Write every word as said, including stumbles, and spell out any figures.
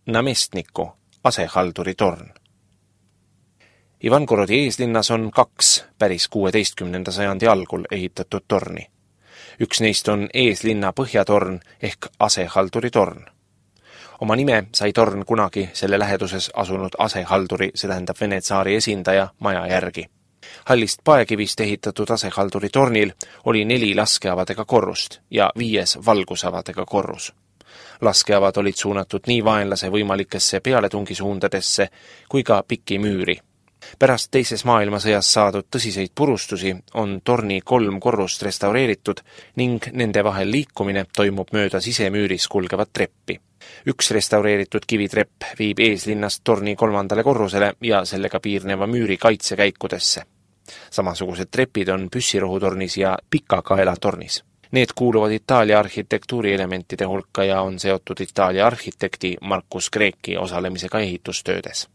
namestniku asehalduri torn. Ivangorodi eeslinnas on kaks päris kuueteistkümnenda sajandi algul ehitatud torni. Üks neist on eeslinna põhjatorn ehk asehalduri torn. Oma nime sai torn kunagi selle läheduses asunud asehalduri, see tähendab Vene tsaari esindaja, maja järgi. Hallist paekivist ehitatud asehalduri tornil oli neli laskeavadega korrust ja viies valgusavadega korrus. Laskeavad olid suunatud nii vaenlase võimalikesse pealetungisuundadesse kui ka pikki müüri. Pärast teises maailmasõjas saadud tõsiseid purustusi on torni kolm korrust restaureeritud ning nende vahel liikumine toimub mööda sisemüüris kulgevat treppi. Üks restaureeritud kivitrepp viib eeslinnast torni kolmandale korrusele ja sellega piirneva müüri kaitsekäikudesse. Samasugused trepid on püssirohutornis ja pikakaela tornis. Need kuuluvad Itaalia arhitektuurielementide hulka ja on seotud Itaalia arhitekti Marcus Greki osalemisega ehitustöödes.